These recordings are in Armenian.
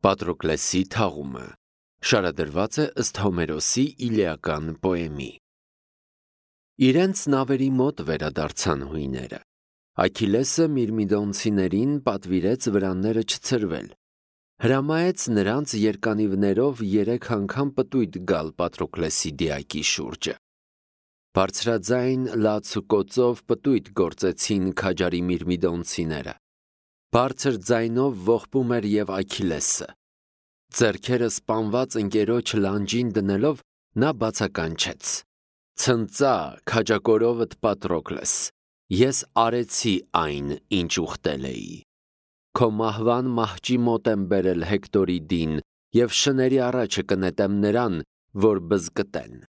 Պատրոկլեսի թաղումը շարադրված է ըստ Հոմերոսի իլիական պոեմի։ Իրենց նավերի մոտ վերադարձան հույները։ Աքիլեսը Միրմիդոնցիներին պատվիրեց վրանները չցրվել։ Հրամայեց նրանց երկանիվներով 3 անգամ պտույտ գալ Պատրոկլեսի դիակի շուրջը։ Բարձրաձայն լաց ու կոծով պտույտ գործեցին քաջարի Միրմիդոնցիները։ Բարձր ձայնով ողբում էր և Աքիլեսը։ Ձեռքերը սպանված ընկերոջ լանջին դնելով նա բացականչեց. «Ցնծա, քաջակորովդ Պատրոկլես, ես արեցի այն, ինչ ուխտել էի։ Քո մահվան մահճի մոտ եմ բերել Հեկտորի դին և շների առաջը կնետեմ նրան, որ բզկտեն։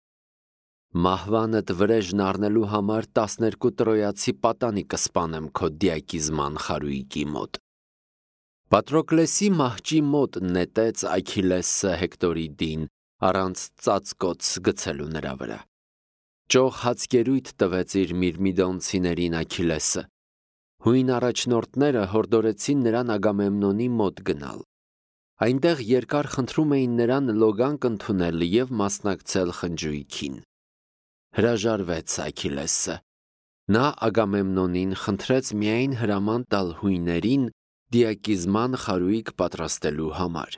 Մահվանդ վրեժն առնելու համար 12 տրոյացի պատանի կսպանեմ քո դիակիզման խարույկի մոտ»։ Պատրոկլեսի մահճի մոտ նետեց Աքիլեսը Հեկտորի դին առանց ծածկոց գցելու նրա վրա։ Ճոխ հացկերույթ տվեց իր Միրմիդոնցիներին Աքիլեսը։ Հույն առաջնորդները հորդորեցին նրան Ագամեմնոնի մոտ գնալ։ Այնտեղ երկար խնդրում էին նրան լոգանք ընդունել և մասնակցել խնջույքին։ Հրաժարվեց Աքիլեսը։ Նա Ագամեմնոնին խնդրեց միայն հրաման տալ հույներին դիակիզման խարույկ պատրաստելու համար։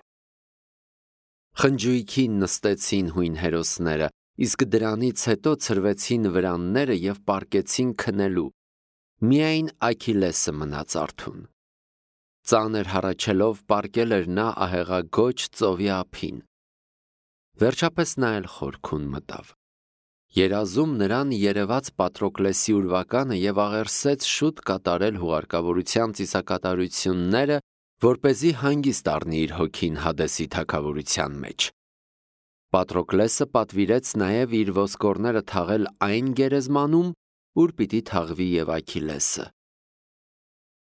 Խնջույքին նստեցին հույն հերոսները, իսկ դրանից հետո ցրվեցին վրանները և պառկեցին քնելու։ Միայն Աքիլեսը մնաց արթուն։ Ծանր հառաչելով պառկել էր նա ահեղագոչ ծովի ափին։ Վերջապես նա էլ խորքուն մտավ։ Երազում նրան երևաց Պատրոկլեսի ուրվականը և աղերսեց շուտ կատարել հուղարկավորության ծիսակատարությունները, որպեսզի հանգիստ առնի իր հոգին Հադեսի թագավորության մեջ։ Պատրոկլեսը պատվիրեց նաև իր ոսկորները թաղել այն գերեզմանում, ուր պիտի թաղվի և Աքիլեսը։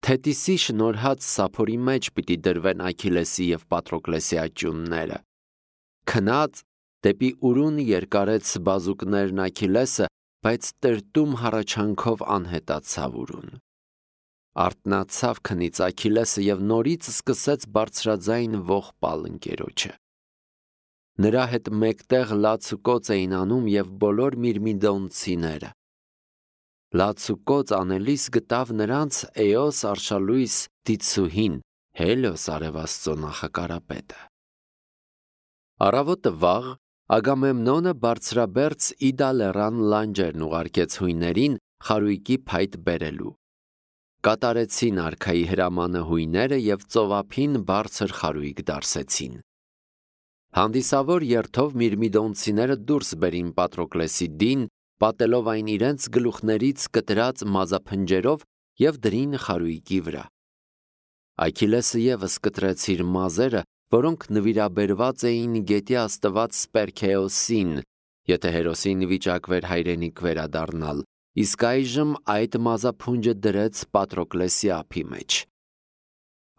Թետիսի շնորհած սափորի մեջ պիտի դրվեն Աքիլեսի և Պատրոկլեսի աճյունները։ Քնած դեպի ուրուն երկարեց բազուկներն Աքիլեսը, բայց տրտում հառաչանքով անհետացավ ուրուն։ Արթնացավ քնից Աքիլեսը և նորից սկսեց բարձրաձայն ողբալ ընկերոջը։ Նրա հետ մեկտեղ լաց ու կոծ էին անում և բոլոր միրմիդոնցիները։ Լաց ու կոծ անելիս գտավ նրանց Էոս արշալույս դիցուհին, Հելիոս արևաստծո նախակարապետը։ Առավոտը վաղ Ագամեմնոնը բարձրաբերձ Իդա լեռան լանջերն ուղարկեց հույներին խարույկի փայտ բերելու։ Կատարեցին արքայի հրամանը հույները և ծովափին բարձր խարույկ դարսեցին։ Հանդիսավոր երթով միրմիդոնցիները դուրս բերին Պատրոկլեսի դին, պատելով այն իրենց գլուխներից կտրած մազափնջերով և դրին խարույկի վրա։ Աքիլեսը ևս կտրեց իր մազերը, որոնք նվիրաբերված էին գետի աստված Սպերքեոսին, եթե հերոսին վիճակվեր հայրենիք վերադառնալ, իսկ այժմ այդ մազափունջը դրեց Պատրոկլեսի ափի մեջ։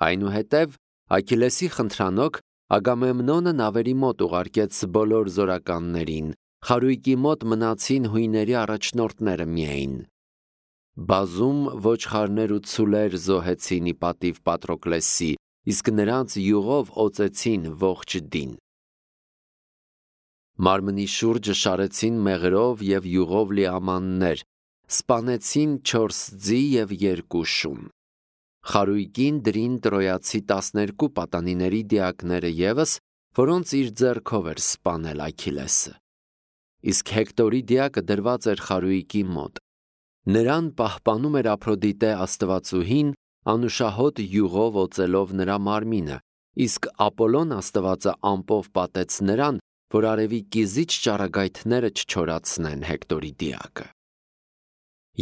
Այնուհետև Աքիլեսի խնդրանոք Ագամեմնոնը նավերի մոտ ուղարկեց բոլոր զորականներին, խարույկի մոտ մնացին հույների առաջնորդները միայն։ Բազում ոչխարներ ու ցուլեր զոհեցին ի պատիվ Պատրոկլեսի, իսկ նրանց յուղով օծեցին ողջ դին։ Մարմնի շուրջը շարեցին մեղրով և յուղով լի ամաններ, սպանեցին 4 ձի և 2 շուն։ Խարույկին դրին տրոյացի 12 պատանիների դիակները ևս, որոնց իր ձեռքով էր սպանել Աքիլեսը։ Իսկ Հեկտորի դիակը դրված էր խարույկի մոտ։ Նրան պահպանում էր Ափրոդիտե աստվածուհին, անուշահոտ յուղով օծելով նրա մարմինը, իսկ Ապոլոն աստվածը ամպով պատեց նրան, որ արևի կիզիչ ճառագայթները չչորացնեն Հեկտորի դիակը։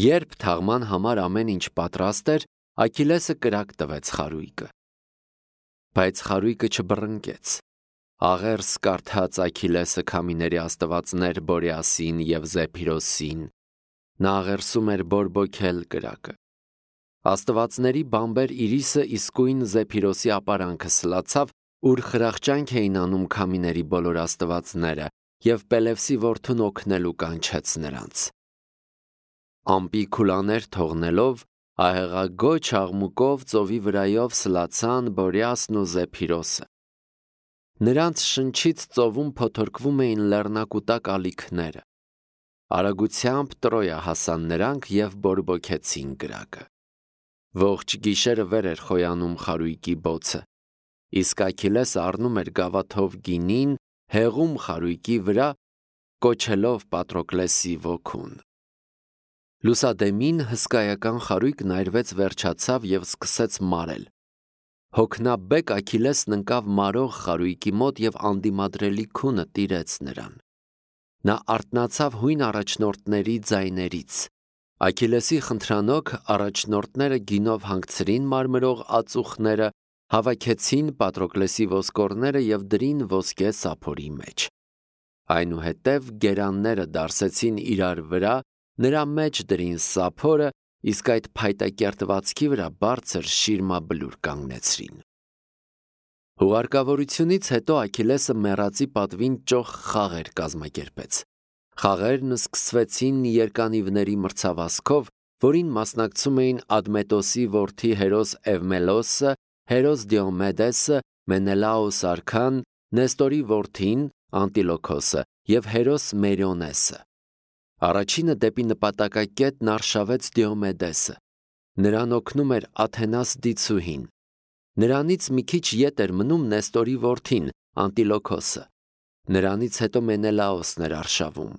Երբ թաղման համար ամեն ինչ պատրաստ էր, Աքիլեսը կրակ տվեց խարույկը։ Բայց խարույկը չբռնկեց։ Աղերս կարդաց Աքիլեսը քամիների աստվածներ Բորեասին և Զեփիրոսին։ Նա աղերսում էր բորբոքել կրակը։ Աստվածների բամբեր Իրիսը իսկույն Զեփիրոսի ապարանքը սլացավ, ուր խրախճանք էին անում քամիների բոլոր աստվածները, և Պելևսի որդուն օգնելու կանչեց նրանց։ Ամպի քուլաներ թողնելով, ահեղագոչ աղմուկով ծովի վրայով սլացան Բորեասն ու Զեփիրոսը։ Նրանց շնչից ծովում փոթորկվում էին լեռնակուտակ ալիքները։ Արագությամբ Տրոյա հասան նրանք եւ բորբոքեցին կրակը։ Ողջ գիշերը վեր էր խոյանում խարույկի բոցը, իսկ Աքիլեսը առնում էր գավաթով գինին, հեղում խարույկի վրա, կոչելով Պատրոկլեսի ոգուն։ Լուսադեմին հսկայական խարույկն այրվեց, վերջացավ եւ սկսեց մարել։ Հոգնաբեկ Աքիլեսն ընկավ մարող խարույկի մոտ եւ անդիմադրելի քունը տիրեց նրան։ Նա արթնացավ հույն առաջնորդների ձայներից։ Աքիլեսի խնդրանոք առաջնորդները գինով հանգցրին մարմրող ածուխները, հավաքեցին Պատրոկլեսի ոսկորները եւ դրին ոսկե սափորի մեջ։ Այնուհետև գերանները դարսեցին իրար վրա, նրա մեջ դրին սափորը, իսկ այդ փայտակերտվածքի վրա բարձր շիրմաբլուր կանգնեցրին։ Հուղարկավորությունից հետո Աքիլեսը մեռածի պատվին ճոխ խաղեր կազմակերպեց։ Խաղերն սկսվեցին երկանիվների մրցավազքով, որին մասնակցում էին Ադմետոսի որդի Հերոս Էվմելոսը, Հերոս Դիոմեդեսը, Մենելաոս արքան, Նեստորի որդին Անտիլոքոսը եւ Հերոս Մերիոնեսը։ Առաջինը դեպի նպատակակետն արշավեց Դիոմեդեսը։ Նրան օգնում էր Աթենաս դիցուհին։ Նրանից մի քիչ ետ էր մնում Նեստորի որդին Անտիլոքոսը։ Նրանից հետո Մենելաոսն էր արշավում։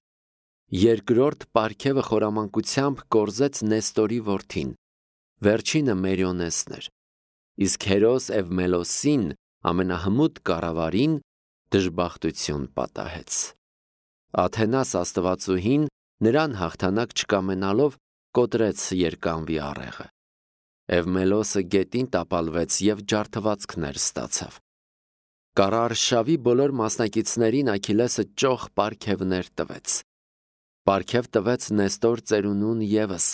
Երկրորդ պարգևը խորամանկությամբ կորզեց Նեստորի որդին։ Վերջինը Մերիոնեսն էր։ Իսկ Հերոս Էվմելոսին, ամենահմուտ կառավարին, դժբախտություն պատահեց։ Աթենաս աստվածուհին նրան հաղթանակ չկամենալով կոտրեց երկանվի առեղը։ Էվմելոսը գետին տապալվեց եւ ջարդվածքներ ստացավ։ Կառարշավի բոլոր մասնակիցներին Աքիլեսը ճոխ պարգևներ տվեց։ Պարգև տվեց Նեստոր ծերունուն եւս։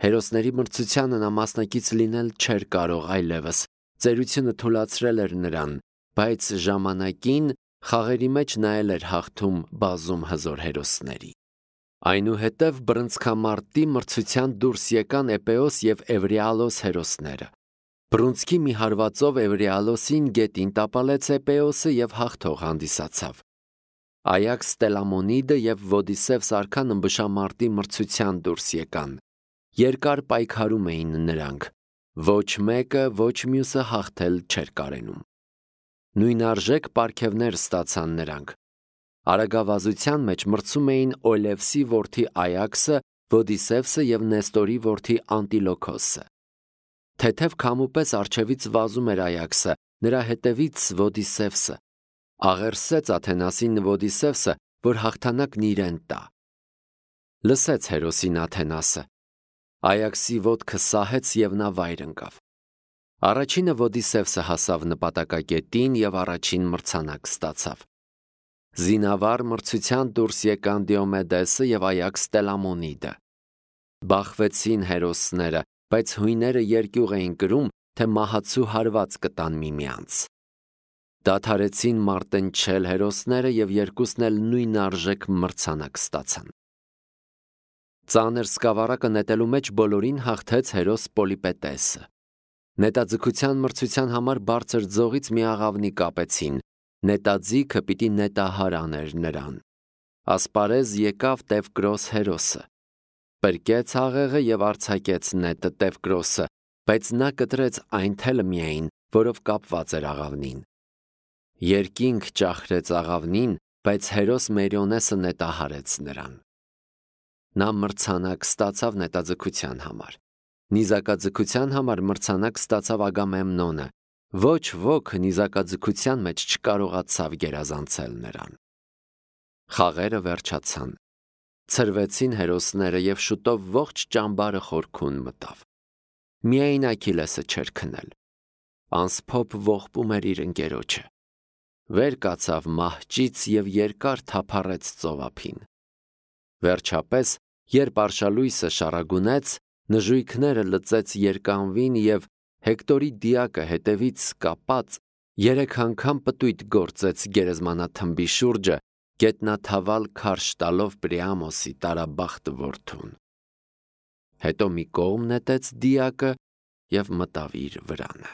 Հերոսների մրցությանը նա մասնակից լինել չէր կարող այլևս։ Ծերությունը թուլացրել էր նրան, բայց ժամանակին խաղերի մեջ նա էր հաղթում բազում հզոր հերոսների։ Այնուհետև բռնցքամարտի մրցության դուրս եկան Էպեոս եւ Էվրիալոս հերոսները։ Բռունցքի մի հարվածով Էվրիալոսին գետին տապալեց Էպեոսը եւ հաղթող հանդիսացավ։ Այաքս Տելամոնիդը եւ Ոդիսևս արքան ըմբշամարտի մրցության դուրս եկան։ Երկար պայքարում էին նրանք։ Ոչ մեկը, ոչ մյուսը հաղթել չէր կարենում։ Նույնարժեք պարգևներ ստացան նրանք։ Արագավազության մեջ մրցում էին Օլևսի որդի Այաքսը, Ոդիսևսը եւ Նեստորի որդի Անտիլոքոսը։ Թեթև քամուպես արջևից վազում էր Այաքսը, նրա հետևից Ոդիսևսը։ Աղերսեց Աթենասին Ոդիսևսը, որ հաղթանակն իրեն տա։ Լսեց հերոսին Աթենասը։ Այաքսի ոտքը սահեց եւ նա վայր ընկավ։ Առաջինը Ոդիսևսը հասավ նպատակակետին եւ առաջին մրցանակ ստացավ։ Զինավար մրցության դուրս եկան Դիոմեդեսը եւ Այաքս Տելամոնիդը։ Բախվեցին հերոսները, բայց հույները երկյուղ էին կրում, թե մահացու հարված կտան միմյանց։ Դադարեցին մարտնչել հերոսները եւ երկուսն էլ նույնարժեք մրցանակ ստացան։ Ծանր սկավառակը նետելու մեջ բոլորին հաղթեց հերոս Պոլիպետեսը։ Նետաձգության մրցության համար բարձր ձողից մի աղավնի կապեցին։ Նետաձիգը պիտի նետահար աներ նրան։ Ասպարեզ եկավ Տևկրոս հերոսը։ Պրկեց աղեղը եւ արձակեց նետը Տևկրոսը, բայց նա կտրեց այն թելը միայն, որով կապված էր աղավնին։ Երկինք ճախրեց աղավնին, բայց հերոս Մերիոնեսը նետահարեց նրան։ Նա մրցանակ ստացավ նետաձգության համար։ Նիզակաձգության համար մրցանակ ստացավ Ագամեմնոնը։ Ոչ ոք նիզակաձգության մեջ չկարողացավ գերազանցել նրան։ Խաղերը վերջացան։ Ցրվեցին հերոսները եւ շուտով ողջ ճամբարը խորքուն մտավ։ Միայն Աքիլեսը չէր քնել։ Անսփոփ ողբում էր իր ընկերոջը։ Վեր կացավ մահճից եւ երկար թափառեց ծովափին։ Վերջապես, երբ արշալույսը շարագունեց, նժույգները լծեց երկանվին եւ Հեկտորի դիակը հետևից կապած 3 անգամ պտույտ գործեց գերեզմանաթմբի շուրջը, գետնաթավալ քարշ տալով Պրիամոսի տարաբախտ որդուն։ Հետո մի կողմ նետեց դիակը եւ մտավ իր վրանը։